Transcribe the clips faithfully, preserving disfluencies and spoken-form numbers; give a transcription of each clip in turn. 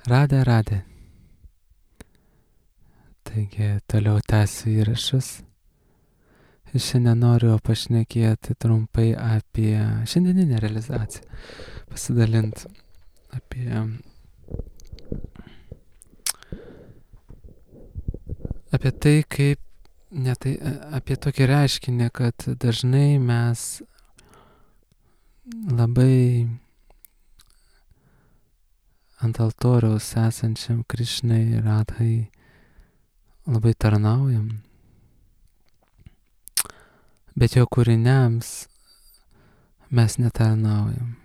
Radė, radė. Taigi toliau tęsiu įrašus. Ir šiandien noriu pašnekėti trumpai apie šiandieninę realizaciją. Pasidalinti apie, apie tai, kaip, ne tai, apie tokį reiškinį, kad dažnai mes labai ant altoriaus esančiam Krišnai Radhai labai tarnaujam, bet jo kūriniams mes netarnaujam.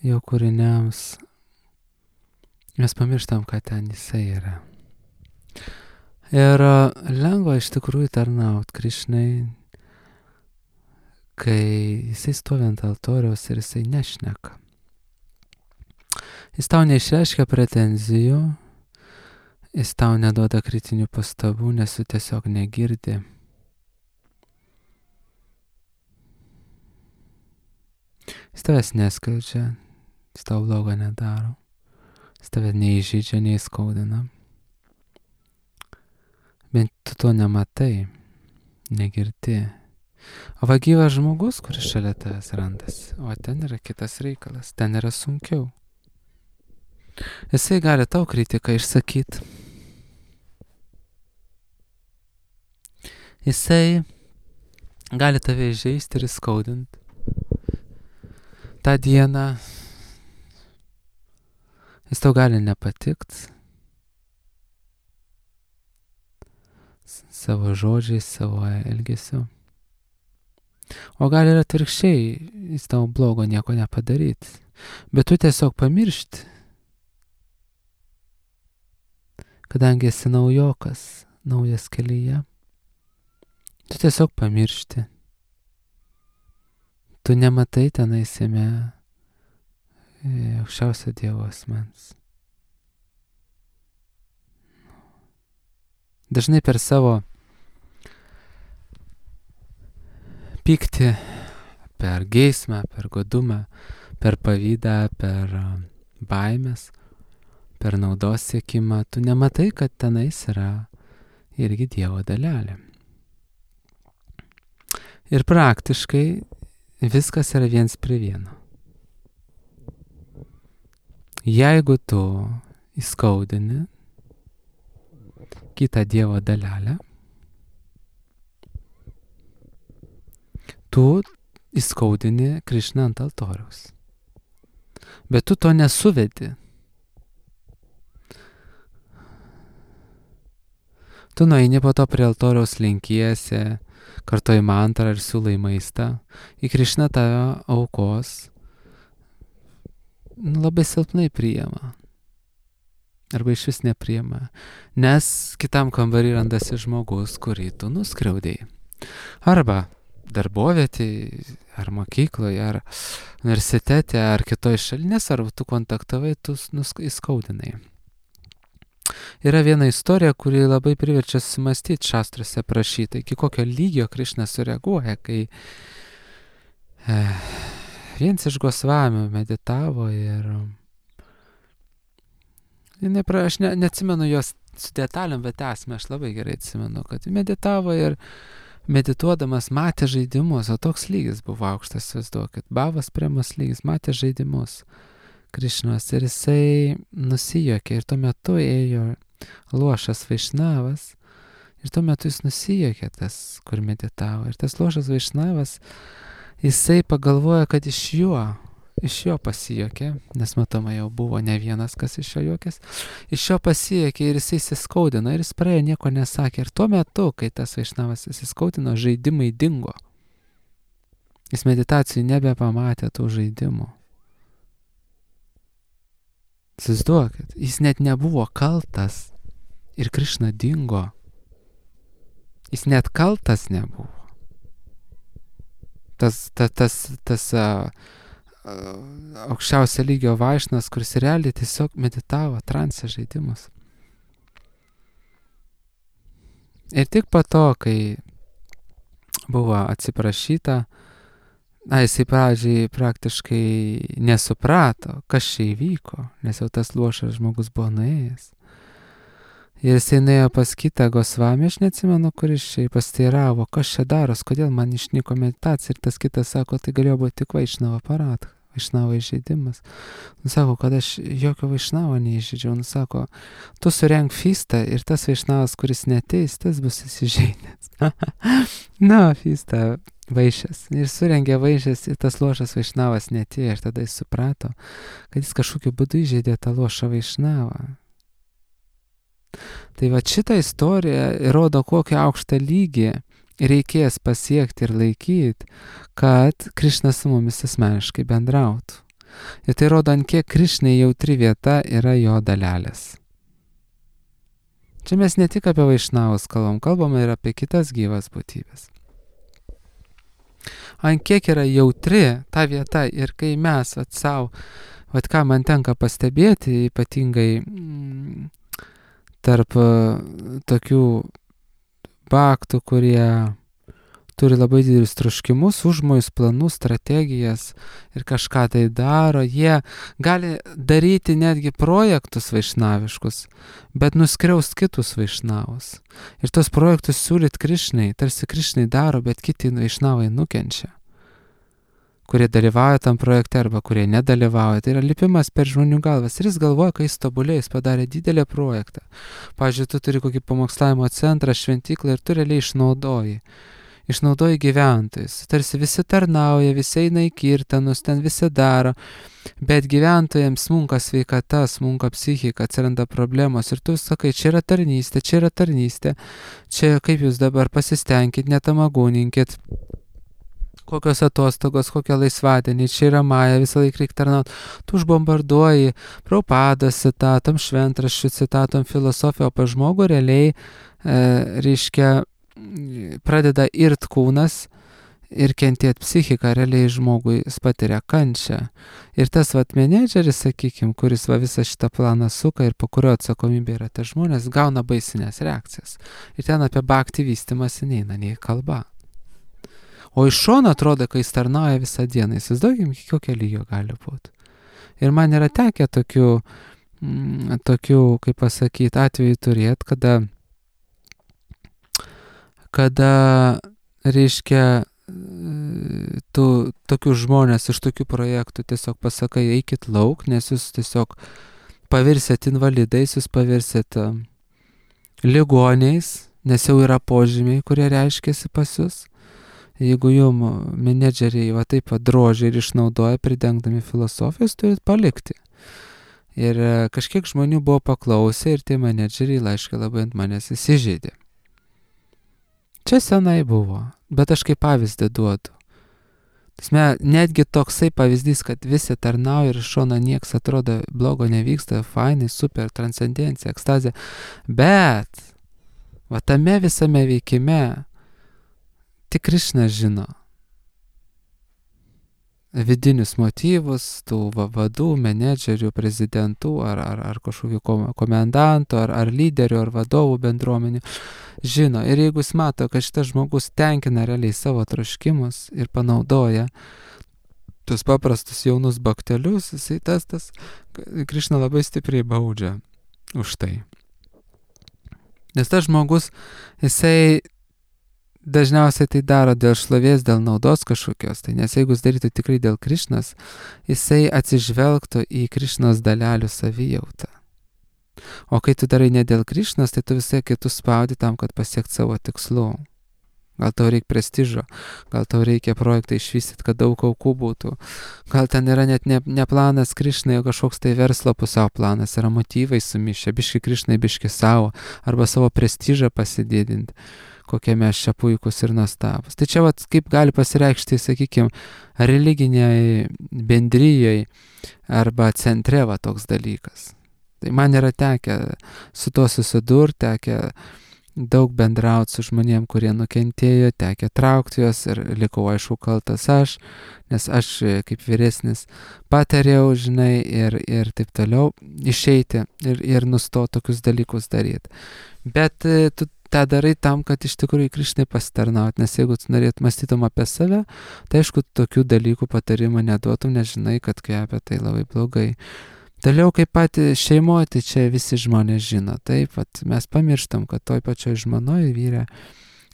Jo kūriniams mes pamirštam, kad ten jisai yra. Ir lengva iš tikrųjų tarnaut Krišnai, kai jisai stovi ant altoriaus ir jisai nešneka. Jis tau neišreiškia pretenzijų, jis tau neduoda kritinių pastabų, nes tu tiesiog negirdi. Jis tavęs neskaudžia, jis tau blogo nedaro, jis tave neįžydžia, neįskaudina. Bent tu to nematai, negirdi. O va gyvas žmogus, kuris šalia tavęs randasi, o ten yra kitas reikalas, ten yra sunkiau. Jisai gali tau kritiką išsakyti. Jisai gali tave įžeisti ir įskaudinti. Ta diena jis tau gali nepatikt savo žodžiais, savo elgesiu. O gali ir atvirkščiai, jis tau blogo nieko nepadaryti, bet tu tiesiog pamiršti, kadangi esi naujokas, naujas kelyje, tu tiesiog pamiršti. Tu nematai tenais jame aukščiausio Dievo asmens. Dažnai per savo pyktį, per geismą, per godumą, per pavydą, per baimės, per naudos siekimą, tu nematai, kad tenais yra irgi Dievo dalelė. Ir praktiškai viskas yra viens prie vieno. Jeigu tu įskaudini kitą Dievo dalelę, tu įskaudini Krišną ant altoriaus. Bet tu to nesuvedi. Tu nueini po to prie altoriaus, lenkiesi, kartoji mantrą ir siūlai maistą. Į Krišną tave aukos nu, labai silpnai priima. Arba iš vis nepriima. Nes kitam kambarį randasi žmogus, kurį tu nuskriaudėjai. Arba darbovietėje, ar mokykloje, ar universitete, ar kitoj šalyje, nesvarbu, tu kontaktavai, tu įskaudinai. Yra viena istorija, kuri labai priverčia susimastyti, šastruose aprašyta, iki kokio lygio Krišna sureaguoja, kai e, vienas iš Gosvamių meditavo ir nepra, aš ne, neatsimenu jos su detalėm, bet esmę aš labai gerai atsimenu, kad meditavo ir medituodamas matė žaidimus, o toks lygis buvo aukštas, įsivaizduokit, bhavas premos lygis, matė žaidimus Krišnos ir jisai nusijuokė ir tuo metu ėjo luošas Vaišnavas ir tuo metu jis nusijuokė tas, kur meditavo ir tas luošas Vaišnavas, jisai pagalvojo, kad iš jo, iš jo pasijuokė, nes matoma jau buvo ne vienas, kas iš jo juokės, iš jo pasijuokė ir jisai įsiskaudino ir jis praėjo, nieko nesakė ir tuo metu, kai tas Vaišnavas įsiskaudino, žaidimai dingo. Jis meditacijų nebepamatė tų žaidimų. Įsivaizduokit, jis net nebuvo kaltas ir Krišna dingo. Jis net kaltas nebuvo. Tas, tas, tas, tas uh, aukščiausio lygio vaišnas, kuris realiai tiesiog meditavo transe žaidimus. Ir tik po to, kai buvo atsiprašyta, Na, jisai pradžiai praktiškai nesuprato, kas čia įvyko, nes jau tas luošas žmogus buvo nuėjęs. Ir jisai nuėjo pas kitą Gosvamį, aš neatsimenu, kuris čia pasteiravo, kas čia daros, kodėl man išnyko meditacija. Ir tas kitas sako, tai galėjo būti tik Vaišnava aparatą, Vaišnavo įžeidimas. Nu sako, kad aš jokio Vaišnavo neįžeidžiau. Nu sako, tu surenk fistą ir tas Vaišnavas, kuris neteis, tas bus įsižeidęs. Na, fistą Vaišės. Ir surengė Vaišės ir tas luošas Vaišnavas netėjo. Ir tada jis suprato, kad jis kažkokiu būdu įžeidė tą luošą Vaišnavą. Tai va šitą istoriją rodo, kokį aukštą lygį reikės pasiekti ir laikyti, kad Krišna su mumis asmeniškai bendrautų. Ir tai rodo, ant kiek Krišnai jautri vieta yra jo dalelės. Čia mes ne tik apie Vaišnavus kalbam, kalbame ir apie kitas gyvas būtybės. Ant kiek yra jautri ta vieta ir kai mes vat savo, vat ką man tenka pastebėti, ypatingai mm, tarp tokių baktų, kurie turi labai didelius troškimus, užmojus, planus, strategijas ir kažką tai daro, jie gali daryti netgi projektus vaišnaviškus, bet nuskriaust kitus vaišnavus. Ir tos projektus siūlyt Krišnai, tarsi Krišnai daro, bet kiti vaišnavai nukenčia, kurie dalyvauja tam projekte arba kurie nedalyvauja. Tai yra lipimas per žmonių galvas. Ir jis galvoja, kai jis tobulė, jis padarė didelį projektą. Pavyzdžiui, tu turi kokį pamokslavimo centrą, šventyklą ir tu realiai išnaudoji. Išnaudoji gyventojus. Tarsi visi tarnauja, visi eina į kirtanus, ten visi daro. Bet gyventojams smunka sveikata, smunka psichika, atsiranda problemos. Ir tu sakai, čia yra tarnystė, čia yra tarnystė. Čia kaip jūs dabar pasistengkit, netamagūninkit. Kokios atostogos, kokie laisvadieniai, čia yra Maja, visą laiką reikia tarnauti. Tu užbombarduoji Prabhupados citatom, šventraščių citatom, filosofiją, o pa žmogų realiai, e, reiškia, pradeda irt kūnas ir kentėti psichiką, realiai žmogui patiria kančią. Ir tas vat menedžeris, sakykim, kuris va visą šitą planą suka ir po kurio atsakomybė yra tie žmonės, gauna baisinės reakcijas. Ir ten apie bhakti vystymąsi neina nei kalba. O iš šono atrodo, kai jis tarnauja visą dieną, įsivaizduokim, kokio lygio gali būti. Ir man yra tekę tokių, mm, tokių kaip pasakyti, atvejų turėti, kada, kada, reiškia, tu tokių žmonės iš tokių projektų tiesiog pasakai, eikit lauk, nes jūs tiesiog pavirsit invalidais, jūs pavirsit ligoniais, nes jau yra požymiai, kurie reiškiasi pas jūs. Jeigu jum menedžeriai va taip drožia ir išnaudoja, pridengdami filosofijos, turit palikti. Ir kažkiek žmonių buvo paklausę ir tie menedžeriai laiškai labai ant manęs įsižeidė. Čia senai buvo, bet aš kaip pavyzdį duodu. Tasme, netgi toksai pavyzdys, kad visi tarnauja ir iš šono nieks atrodo blogo nevyksta, fainai, super, transcendencija, ekstazija. Bet va tame visame veikime tik Krišna žino vidinius motyvus tų va, vadų, menedžerių, prezidentų ar, ar, ar kažkokių komendantų, ar, ar lyderių, ar vadovų bendruomenių. Žino. Ir jeigu jis mato, kad šitas žmogus tenkina realiai savo troškimus ir panaudoja tuos paprastus jaunus baktelius, jisai tas, tas Krišna labai stipriai baudžia už tai. Nes tas žmogus, jisai dažniausiai tai daro dėl šlovės, dėl naudos kažkokios. Tai nes jeigu jis darytų tikrai dėl Krišnos, jisai atsižvelgtų į Krišnos dalelių savijautą. O kai tu darai ne dėl Krišnos, tai tu visai kitus spaudi tam, kad pasiekti savo tikslų. Gal tau reikia prestižo, gal tau reikia projektą išvystyti, kad daug aukų būtų. Gal ten yra net ne, ne planas Krišnai, o kažkoks tai verslo pusiau planas, yra motyvai sumišę, biški Krišnai, biški savo, arba savo prestižą pasididinti, kokie mes čia puikus ir nuostabus. Tai čia vat, kaip gali pasireikšti, sakykime, religiniai bendryjai arba centre va toks dalykas. Tai man yra tekę su to susidurti, tekę daug bendrauti su žmonėm, kurie nukentėjo, tekę traukti juos ir likau aišku kaltas aš, nes aš kaip vyresnis patariau, žinai, ir, ir taip toliau išeiti ir, ir nustoti tokius dalykus daryti. Bet tu tą darai tam, kad iš tikrųjų Krišnai pasitarnaut, nes jeigu tu norėt mąstytum apie save, tai aišku, tokių dalykų patarimą neduotum, nežinai, kad kvepia tai labai blogai. Toliau kaip pat šeimoje, tai čia visi žmonės žino, taip, vat, mes pamirštam, kad toj pačioj žmonoje vyre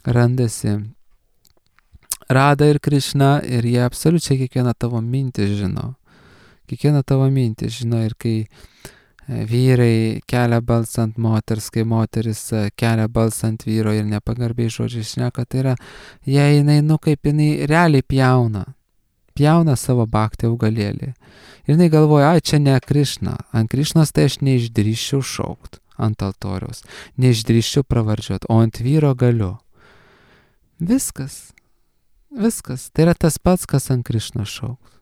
randasi Rada ir Krišna ir jie absoliučiai kiekvieną tavo mintį žino. Kiekvieną tavo mintį žino ir kai vyrai kelia balsą ant moters, kai moteris kelia balsą ant vyro ir nepagarbiai žodžiai šneka, tai yra, jei jinai, nu kaip jinai realiai pjauna, pjauna savo bhaktį augalėlį. Ir jinai galvoja, ai, čia ne Krišna, ant Krišnos tai aš neišdrįščiau šaukt ant altoriaus, neišdrįščiau pravardžiuot, o ant vyro galiu. Viskas, viskas, tai yra tas pats, kas ant Krišnos šaukt.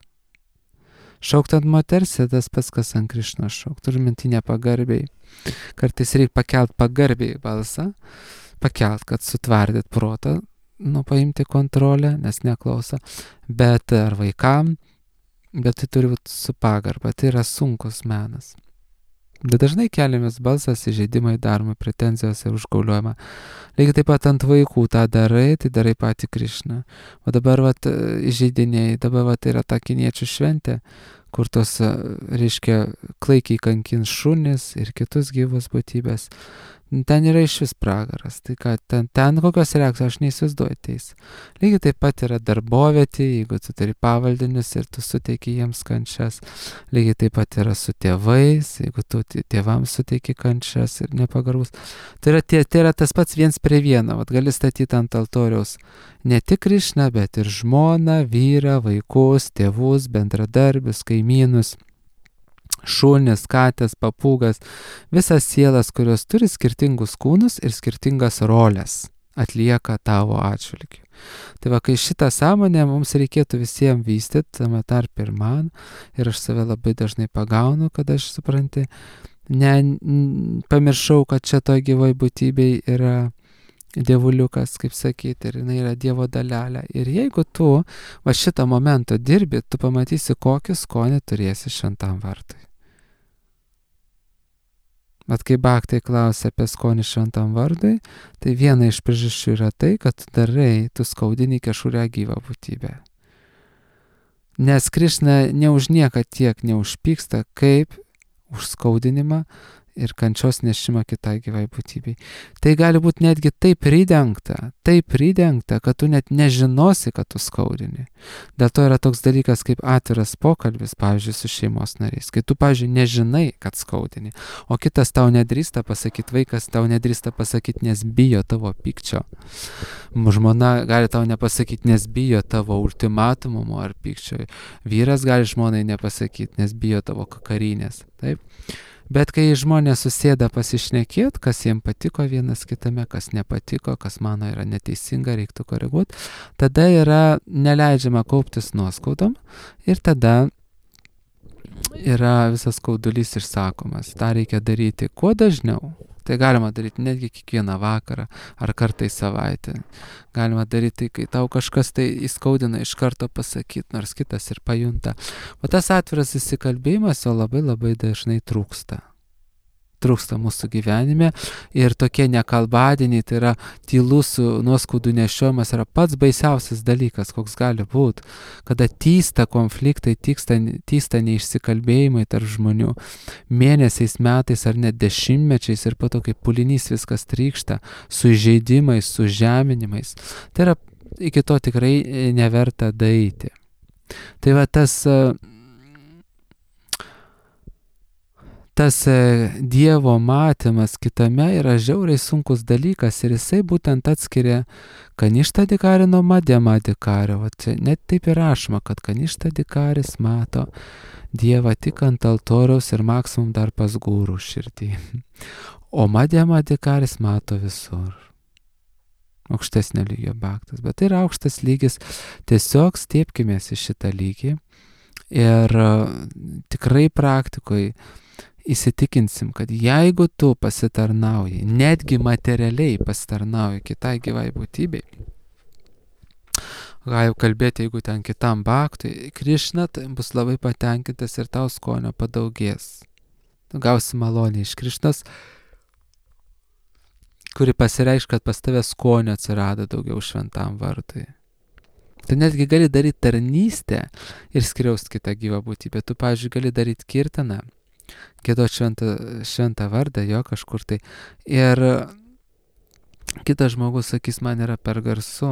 Šaukt ant moters, tas pats, kas ant Krišnos šaukt. Turiu minti nepagarbiai. Kartais reikia pakelt pagarbiai balsą, pakelt, kad sutvardyt protą, nu, paimti kontrolę, nes neklauso, bet ar vaikam, bet tai turi būti su pagarba, tai yra sunkus menas. Bet dažnai keliamas balsas, įžeidimai daromi, pretenzijos ir užgauliojama. Lygiai taip pat ant vaikų tą darai, tai darai patį Krišną. O dabar vat įžeidiniai, dabar vat yra ta kiniečių šventė, kur tos, reiškia, klaikiai kankins šunis ir kitus gyvus būtybės. Ten yra iš vis pragaras. Tai ką, ten, ten kokios reakcijos, aš neįsivaizduoju teis. Lygiai taip pat yra darbovietė, jeigu tu turi pavaldinius ir tu suteiki jiems kančias. Lygiai taip pat yra su tėvais, jeigu tu tėvams suteiki kančias ir nepagarbus. Tai yra, tai, tai yra tas pats viens prie vieno. Vat gali statyti ant altoriaus ne tik Krišną, bet ir žmoną, vyrą, vaikus, tėvus, bendradarbius, kaimynus. Šunis, katės, papūgas, visas sielas, kurios turi skirtingus kūnus ir skirtingas rolės, atlieka tavo atžvilgiu. Tai va, kai šitą sąmonę mums reikėtų visiems vystyti, tame tarp ir man, ir aš save labai dažnai pagaunu, kad aš supranti, ne, n, pamiršau, kad čia toj gyvoj būtybei yra dievuliukas, kaip sakyti, ir jinai yra Dievo dalelė. Ir jeigu tu va šitą momentą dirbi, tu pamatysi, kokį skonį turėsi šventam vardui. Bet kai bhaktai klausia apie skonį šventam vardui, tai viena iš priežasčių yra tai, kad tu darai, tu skaudini kažkurią gyvą būtybę. Nes Krišna ne už nieką tiek neužpyksta, kaip už skaudinimą ir kančios nešimą kitai gyvai būtybei. Tai gali būti netgi taip pridengta, taip pridengta, kad tu net nežinosi, kad tu skaudini. Dėl to yra toks dalykas kaip atviras pokalbis, pavyzdžiui, su šeimos nariais. Kai tu, pavyzdžiui, nežinai, kad skaudini, o kitas tau nedrįsta pasakyti, vaikas tau nedrįsta pasakyti, nes bijo tavo pykčio. Žmona gali tau nepasakyti, nes bijo tavo ultimatumo ar pykčio. Vyras gali žmonai nepasakyti, nes bijo tavo kakarinės. Taip? Bet kai žmonės susėda pasišnekėti, kas jiems patiko vienas kitame, kas nepatiko, kas mano yra neteisinga, reiktų koreguoti, tada yra neleidžiama kauptis nuoskaudom ir tada yra visas skaudulys išsakomas. Ta reikia daryti kuo dažniau. Tai galima daryti netgi kiekvieną vakarą ar kartą į savaitę. Galima daryti, kai tau kažkas tai įskaudina, iš karto pasakyti, nors kitas ir pajunta. O tas atviras įsikalbėjimas jo labai labai dažnai trūksta. Trūksta mūsų gyvenime ir tokie nekalbadieniai, tai yra tylus nuoskaudų nešiojimas, yra pats baisiausias dalykas, koks gali būti, kada tysta konfliktai, tysta, tysta neišsikalbėjimai tarp žmonių, mėnesiais, metais ar net dešimtmečiais ir po to, kaip pulinys viskas trykšta, su įžeidimais, su žeminimais. Tai yra iki to tikrai neverta daeiti. Tai va tas... Tas Dievo matymas kitame yra žiauriai sunkus dalykas ir jisai būtent atskiria kaništą dikarį nuo madėmą dikarį. O čia net taip ir rašoma, kad kaništą dikaris mato Dievą tik ant altoriaus ir maksimum dar pas gūrų širdį. O madėmą dikaris mato visur. Aukštesnio lygio bhaktas. Bet tai yra aukštas lygis. Tiesiog stiepkimės į šitą lygį ir tikrai praktikoje įsitikinsim, kad jeigu tu pasitarnauji, netgi materialiai pasitarnauji kitai gyvai būtybei, gali kalbėti, jeigu ten kitam bhaktui, Krišna tai bus labai patenkintas ir tau skonio padaugės. Tu gausi malonę iš Krišnos, kuri pasireiškia, kad pas tave skonio atsirado daugiau šventam vardui. Tu netgi gali daryti tarnystę ir skriaust kitą gyvą būtybę. Tu, pavyzdžiui, gali daryti kirtaną, giedot šventą, šventą vardą jo kažkur tai. Ir kitas žmogus sakys, man yra per garsu.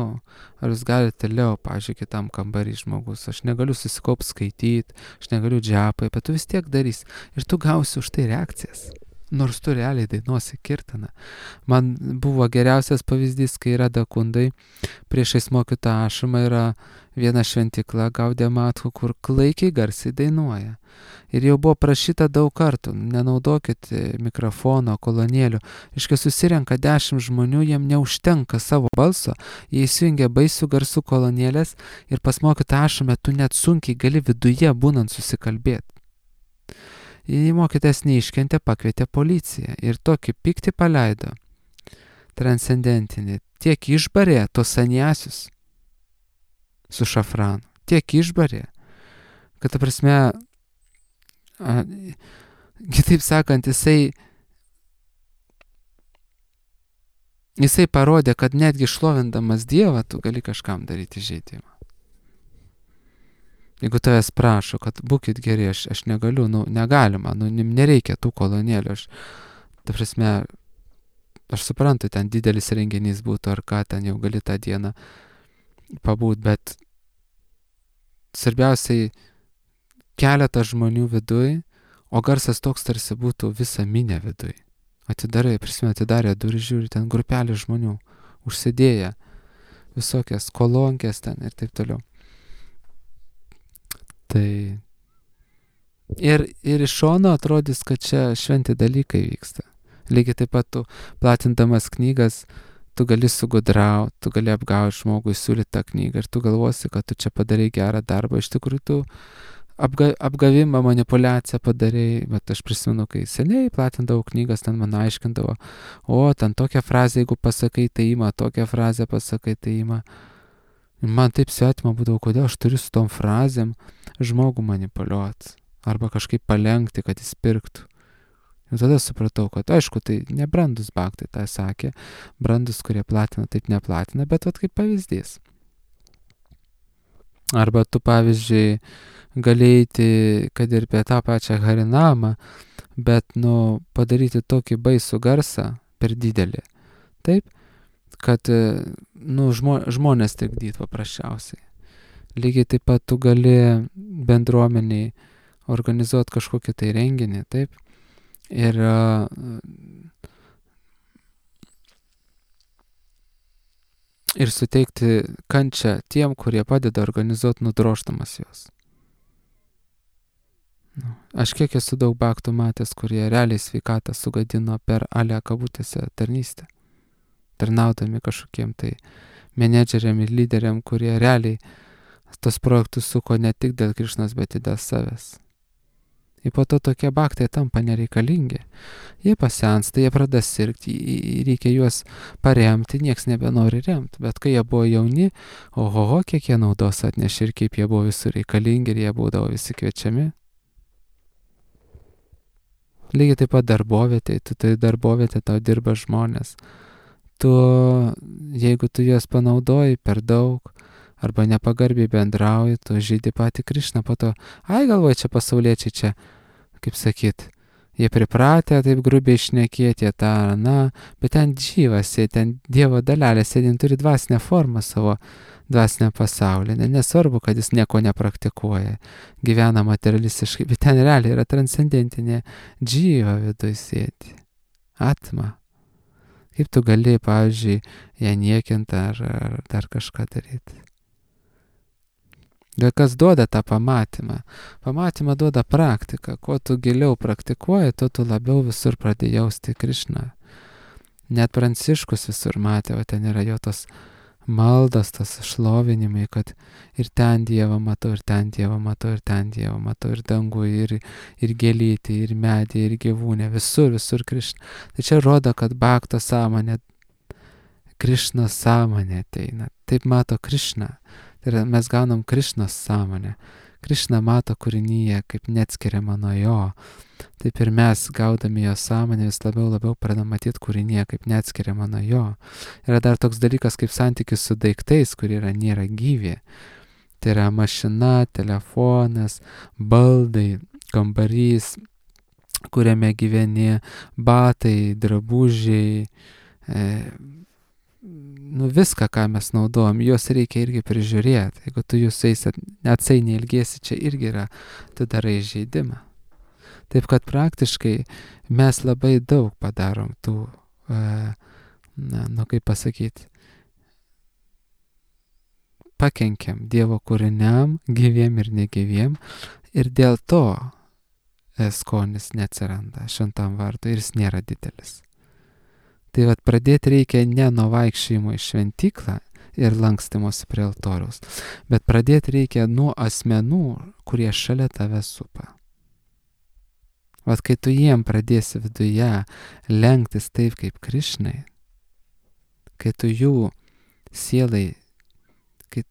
Ar jūs galite liau, pavyzdžiui, kitam kambarį žmogus. Aš negaliu susikaupt skaityti, aš negaliu džiapai, bet tu vis tiek darys. Ir tu gausi už tai reakcijas. Nors tu realiai dainuosi kirtaną. Man buvo geriausias pavyzdys, kai yra dakundai, priešais mokytą ašamą yra viena šventykla Gaudė Matku, kur klaikiai garsiai dainuoja. Ir jau buvo prašyta daug kartų, nenaudokit mikrofono, kolonėlių. Iškai susirenka dešimt žmonių, jiem neužtenka savo balso, jie įsijungia baisių garsų kolonėlės ir pas mokytą ašamą tu net sunkiai gali viduje būnant susikalbėti. Jei mokytas neiškentė, pakvietė policiją ir tokį pyktį paleido, transcendentinį, tiek išbarė tos saniasius su šafranu, tiek išbarė, kad, ta prasme, a, kitaip sakant, jisai, jisai parodė, kad netgi šlovindamas Dievą tu gali kažkam daryti žeidimą. Jeigu tavęs prašo, kad būkit geri, aš, aš negaliu, nu, negalima, nu, nereikia tų kolonėlių, aš, ta prasme, aš suprantu, ten didelis renginys būtų, ar ką, ten jau gali tą dieną pabūt, bet svarbiausiai keletas žmonių viduj, o garsas toks tarsi būtų visa minė viduj. Atidarai, prisimenu, atidarė durį, žiūri, ten grupelė žmonių, užsidėję, visokias kolonkės ten ir taip toliau. Tai ir, ir iš šono atrodys, kad čia šventi dalykai vyksta. Lygiai taip pat tu platindamas knygas, tu gali sugudrauti, tu gali apgauti žmogui, siūlyti tą knygą ir tu galvosi, kad tu čia padarai gerą darbą. Iš tikrųjų, tu apga, apgavimą, manipuliaciją padarai, bet aš prisimenu, kai seniai platindavau knygas, ten man aiškindavo, o, ten tokią frazę, jeigu pasakai, tai ima, tokią frazę pasakai, tai ima. Man taip svetima būdavo, kodėl aš turiu su tom frazėm žmogų manipuliuoti arba kažkaip palenkti, kad jis pirktų. Ir tada supratau, kad aišku, tai nebrandus baktai, tai sakė, brandus, kurie platina, taip neplatina, bet vat kaip pavyzdys. Arba tu, pavyzdžiui, galėjai, kad ir apie tą pačią Harinamą, bet, nu, padaryti tokį baisų garsą per didelį. Taip? Kad, nu, žmo, žmonės trikdyt paprasčiausiai. Lygiai taip pat tu gali bendruomeniai organizuoti kažkokį tai renginį, taip? Ir ir suteikti kančią tiem, kurie padeda organizuoti, nudrožtamas juos. Nu, aš kiek esu daug baktų matęs, kurie realiai sveikatą sugadino per alę kabutėse tarnystę. Tarnaudami kažkokiem tai menedžeriam ir lyderiam, kurie realiai tos projektus suko ne tik dėl Krišnos, bet ir dėl savęs. Ir po to tokie baktai tampa nereikalingi. Jie pasensta, jie pradeda sirgti, reikia juos paremti, nieks nebenori remti. Bet kai jie buvo jauni, ohoho, kiek jie naudos atnešė ir kaip jie buvo visur reikalingi ir jie būdavo visi kviečiami. Lygiai taip pat darbovietė, tu tai darbovietė, tau dirba žmonės. Tu, jeigu tu juos panaudoji per daug, arba nepagarbiai bendrauji, tu žydi patį Krišną, po to, ai galvoju, čia pasauliečiai čia, kaip sakyt, jie pripratę taip grubiai šnekėti, jie tą, na, bet ten džyvas, jie ten Dievo dalelė, sėdint turi dvasinę formą savo dvasinę pasaulį, nesvarbu, kad jis nieko nepraktikuoja, gyvena materialistiškai, bet ten realiai yra transcendentinė džyva viduj sėdi, atma. Kaip tu gali, pavyzdžiui, ją niekinti ar, ar dar kažką daryti. Ir kas duoda tą pamatymą? Pamatymą duoda praktika. Kuo tu giliau praktikuoji, tuo tu labiau visur pradėjai jausti Krišną. Net Pranciškus visur matė, o ten yra jo tos maldas, tas šlovinimai, kad ir ten Dievą matau, ir ten Dievą matau, ir ten Dievą matau, ir dangų, ir, ir gėlytį, ir medį, ir gyvūnę, visur, visur Krišna. Tai čia rodo, kad bakto sąmonė, Krišnos sąmonė ateina. Taip mato Krišną. Tai yra, mes gaunam Krišnos sąmonę. Krišna mato kūrinyje kaip neatskiriama nuo jo. Taip ir mes, gaudami jo sąmonę, vis labiau labiau pradam matyti kūrinyje kaip neatskiriama nuo jo. Yra dar toks dalykas kaip santykis su daiktais, kurie yra, nėra gyvi. Tai yra mašina, telefonas, baldai, kambarys, kuriame gyveni, batai, drabužiai, e, nu viską, ką mes naudojam, juos reikia irgi prižiūrėti. Jeigu tu jūs atsainiai ilgėsi, čia irgi yra, tu darai žaidimą. Taip kad praktiškai mes labai daug padarom tų, e, na, nu kaip pasakyti, pakenkiam Dievo kūriniam, gyviem ir negyviem, ir dėl to e, skonis neatsiranda šventam vardui ir jis nėra didelis. Tai vat pradėti reikia ne nuo vaikščiojimo į šventyklą ir lankstymosi prie altoriaus, bet pradėti reikia nuo asmenų, kurie šalia tave supa. Vat kai tu jiem pradėsi viduje lenktis taip kaip Krišnai, kai tu jų sielai kai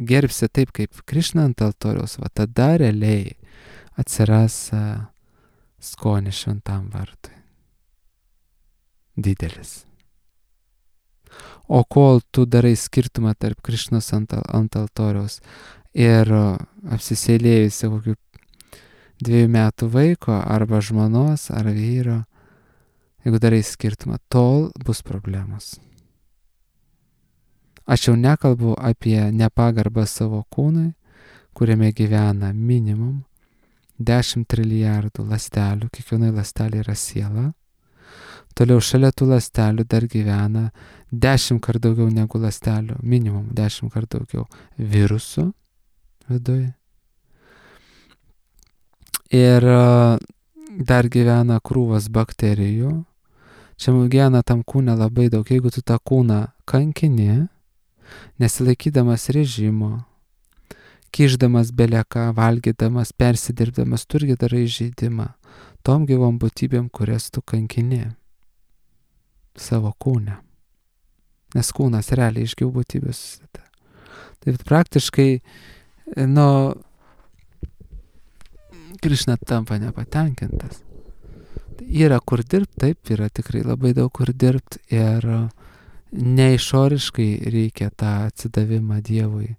gerbsi taip kaip Krišna ant altoriaus, va tada realiai atsiras skonis šventam vardui. Didelis. O kol tu darai skirtumą tarp Krišnos ant, ant altoriaus ir apsisėlėjusi kokių dviejų metų vaiko arba žmonos ar vyro, jeigu darai skirtumą, tol bus problemos. Aš jau nekalbu apie nepagarbą savo kūnui, kuriame gyvena minimum dešimt trilijardų ląstelių, kiekvienai ląstelė yra siela. Toliau šalia tų ląstelių dar gyvena dešimt kart daugiau negu ląstelių, minimum dešimt kart daugiau virusų viduje. Ir dar gyvena krūvas bakterijų. Čia gyvena tam kūne labai daug. Jeigu tu tą kūną kankini, nesilaikydamas režimo, kišdamas beleką, valgydamas, persidirbdamas, tu irgi darai žaidimą tom gyvom būtybėm, kurias tu kankini savo kūne. Nes kūnas realiai iš gyvų būtybių susideda. Tai praktiškai, nu, Krišna tampa nepatenkintas. Yra kur dirbti, taip, yra tikrai labai daug kur dirbti ir neišoriškai reikia tą atsidavimą Dievui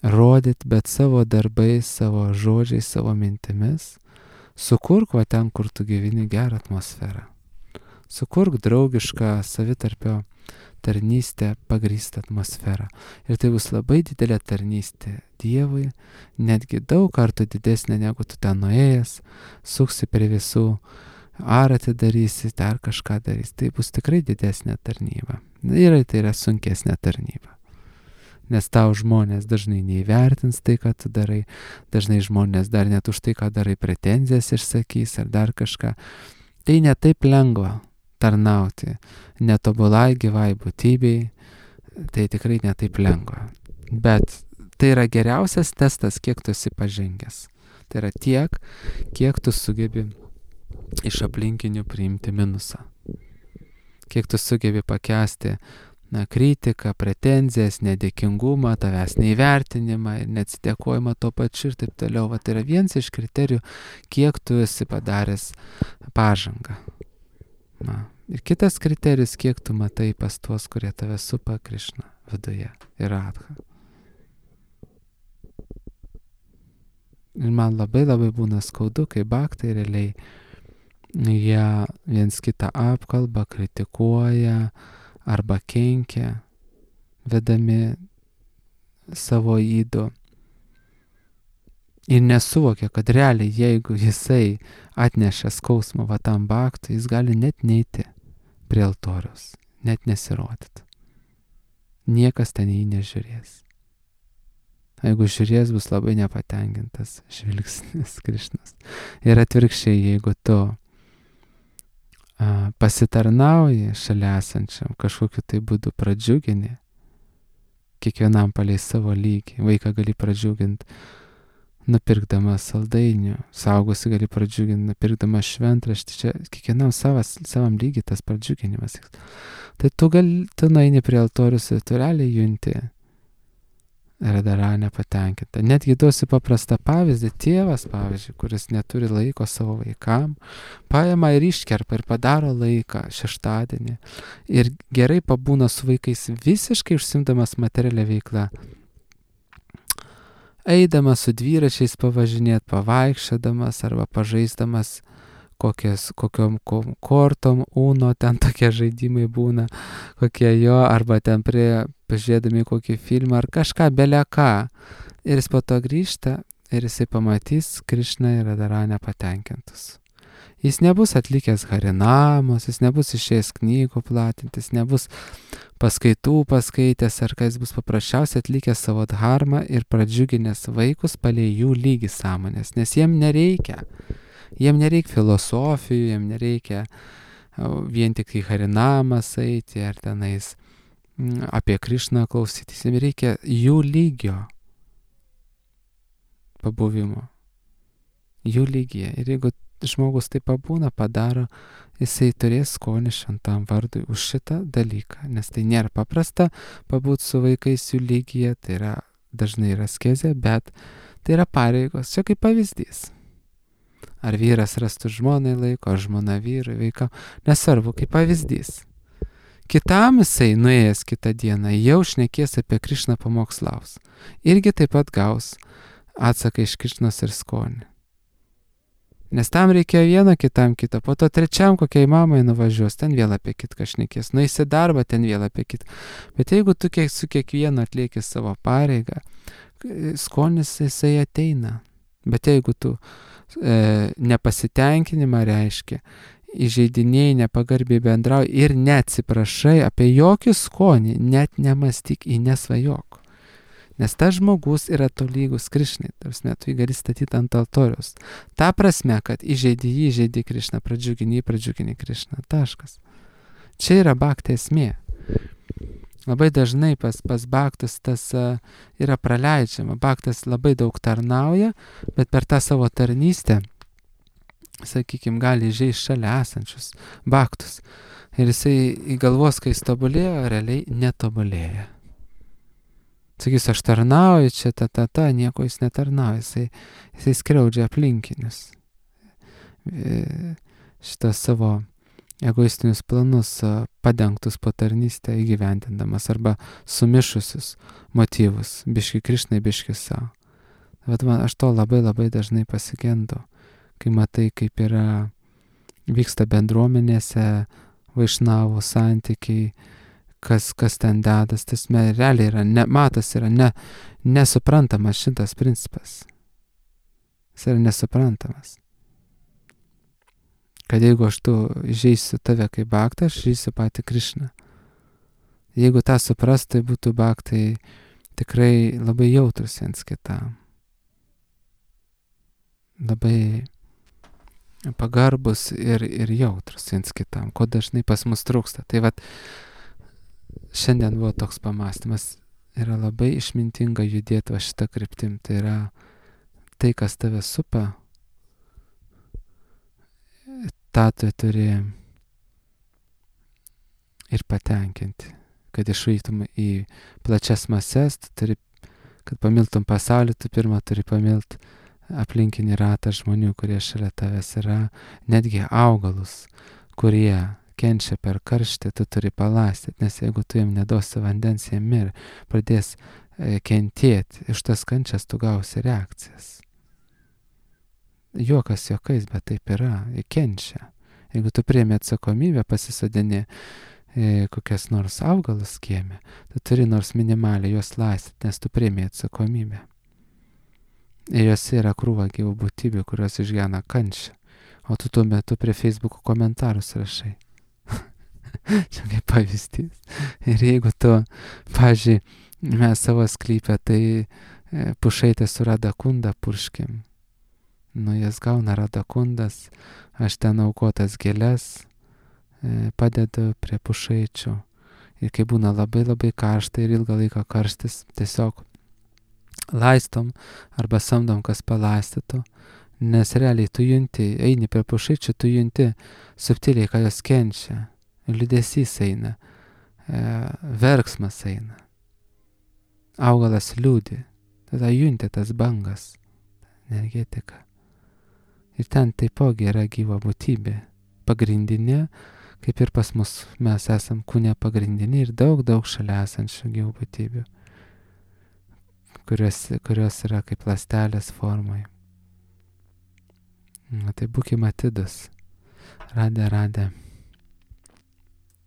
rodyti, bet savo darbais, savo žodžiais, savo mintimis sukurk va ten, kur tu gyveni, gerą atmosferą. Sukurk draugišką savitarpio tarnystę pagrįstą atmosferą. Ir tai bus labai didelė tarnystė Dievui, netgi daug kartų didesnė negu tu ten nuėjęs, suksi prie visų, ar atidarysi, dar kažką darysi. Tai bus tikrai didesnė tarnyba. Ir tai yra sunkesnė tarnyba. Nes tau žmonės dažnai neįvertins tai, ką tu darai, dažnai žmonės dar net už tai, ką darai, pretenzijas išsakys ar dar kažką. Tai netaip lengva tarnauti netobulai gyvai būtybei, tai tikrai netaip lengva. Bet tai yra geriausias testas, kiek tu esi pažengęs. Tai yra tiek, kiek tu sugebi iš aplinkinių priimti minusą. Kiek tu sugebi pakęsti na, kritiką, pretenzijas, nedėkingumą, tavęs neįvertinimą ir neatsidėkojimą tuo pačiu ir taip toliau. Va, tai yra vienas iš kriterijų, kiek tu esi padaręs pažangą. Na, ir kitas kriterijus, kiek tu matai pas tuos, kurie tave supa Krišna viduje ir Radha. Ir man labai labai būna skaudu, kai bhaktai realiai jie viens kitą apkalba, kritikuoja arba kenkia, vedami savo įdu. Ir nesuvokia, kad realiai, jeigu jisai atneša skausmą va tam bhaktui, jis gali net neiti prie altoriaus, net nesirodyti. Niekas ten jį nežiūrės. Jeigu žiūrės, bus labai nepatenkintas žvilgsnis Krišnos. Ir atvirkščiai, jeigu tu a, pasitarnauji šalia esančiam, kažkokiu tai būdu pradžiugini, kiekvienam palei savo lygį. Vaiką gali pradžiuginti nupirkdamas saldainių, saugusi gali pradžiuginti nupirkdamas šventraštį. Čia kiekvienam savas, savam lygiai tas pradžiuginimas. Tai tu gali, tu nueini prie altorius ir tu realiai junti Radara nepatenkinta. Netgi duosiu paprastą pavyzdį. Tėvas, pavyzdžiui, kuris neturi laiko savo vaikam, paima ir iškerpa ir padaro laiką šeštadienį. Ir gerai pabūna su vaikais visiškai užsimdamas materialią veiklą. Eidamas su dviračiais pavažinėt, pavaikščiodamas arba pažaisdamas kokias, kokiom kortom, uno, ten tokie žaidimai būna, kokie jo, arba ten prie, pažiūrėdami kokį filmą ar kažką, beleką. Ir jis po to grįžta ir jisai pamatys Krišną ir Radharą nepatenkintus. Jis nebus atlikęs harinamos, jis nebus išėjęs knygų platintis, nebus paskaitų paskaitęs, ar kai jis bus paprasčiausiai atlikęs savo dharmą ir pradžiuginęs vaikus palei jų lygį sąmonės, nes jiem nereikia. Jiem nereikia filosofijų, jiem nereikia vien tik į harinamas eiti ar tenais apie Krišną klausytis, jiem reikia jų lygio pabuvimo, jų lygyje. Ir jeigu žmogus tai pabūna, padaro, jisai turės skonį šventam vardui už šitą dalyką, nes tai nėra paprasta pabūti su vaikais jų lygyje, tai yra dažnai yra askezė, bet tai yra pareigos, čia kaip pavyzdys. Ar vyras rastų žmonai laiko, ar žmona vyrui, vaiką, nesvarbu, kaip pavyzdys. Kitam jisai nuėjęs kitą dieną jau šnekės apie Krišną pamokslaus. Irgi taip pat gaus atsaką iš Krišnos ir skonį. Nes tam reikėjo vieną, kitam kitą, po to trečiam kokiai mamai nuvažiuos, ten vėl apie kitką šnekės, nueis į darbą, ten vėl apie kitką. Bet jeigu tu kiek, su kiekvienu atlieki savo pareigą, skonis jisai ateina. Bet jeigu tu e, nepasitenkinimą reiškia, įžeidinėjai, nepagarbiai bendrauji ir neatsiprašai apie jokį skonį, net nemastyk, į nesvajok. Nes tas žmogus yra tolygus Krišnai, tarsi tu jį gali statyti ant altoriaus. Ta prasme, kad įžeidi jį, įžeidi Krišną, pradžiugini jį, pradžiugini Krišną. Taškas. Čia yra bhakti esmė. Labai dažnai pas, pas bhaktus tas uh, yra praleidžiama. Bhaktas labai daug tarnauja, bet per tą savo tarnystę, sakykime, gali įžeisti šalia esančius bhaktus. Ir jisai į galvos, kai jis tobulėjo, realiai netobulėja. Sakys, aš tarnauju, čia ta, ta, ta, nieko jis netarnauja, jisai, jisai skriaudžia aplinkinius. Šitas savo egoistinius planus padengtus po tarnystę įgyvendindamas arba sumišusius motyvus, biški Krišnai, biški savo. Bet man, aš to labai labai dažnai pasigendu, kai matai, kaip yra, vyksta bendruomenėse, vaišnavų santykiai, kas, kas ten dedas, tas realiai yra, ne, matas yra ne, nesuprantamas šitas principas. Jis yra nesuprantamas. Kad jeigu aš tu įžeisiu tave kaip bhaktą, aš įžeisiu patį Krišną. Jeigu tą suprast, tai būtų bhaktai tikrai labai jautrus viens kitam. Labai pagarbus ir, ir jautrus viens kitam, ko dažnai pas mus trūksta. Tai vat, šiandien buvo toks pamąstymas, yra labai išmintinga judėti va šitą kryptim. Tai yra tai, kas tave supa, tą tu turi ir patenkinti. Kad išvyktum į plačias mases, tu turi, kad pamiltum pasaulį, tu pirmą turi pamilt aplinkinį ratą žmonių, kurie šalia tavęs yra, netgi augalus, kurie kenčia per karštį, tu turi palastyti, nes jeigu tu jiem nedosi vandens, jie mir, pradės e, kentėti, iš tas kančias tu gausi reakcijas. Juokas juokais, bet taip yra, jie kenčia. Jeigu tu priemi atsakomybę, pasisodini e, kokias nors augalus kieme, tu turi nors minimaliai juos laistyti, nes tu priemi atsakomybę. Ir juose yra krūva gyvų būtybių, kurios išgyvena kančią, o tu tuo metu prie Facebook'o komentarus rašai. Čia kaip pavyzdys. Ir jeigu tu, pavyzdžiui, mes savo sklypę, tai e, pušaitę su radakunda purškim. Nu, jas gauna radakundas, aš ten aukotas gėles e, padedu prie pušaičių. Ir kai būna labai labai karšta ir ilgą laiką karštis, tiesiog laistom arba samdom, kas palaistytų. Nes realiai tu junti, eini prie pušaičių, tu junti subtiliai, ką jos kenčia. Liūdesys eina, e, verksmas eina. augalas liūdi, tada junti tas bangas, energetika. Ir ten taipogi yra gyva būtybė, pagrindinė, kaip ir pas mus mes esam kūne pagrindiniai ir daug, daug šalia esančių gyvų būtybių, kurios, kurios yra kaip ląstelės formoje. Na, tai būkime atidus. Radė, radė.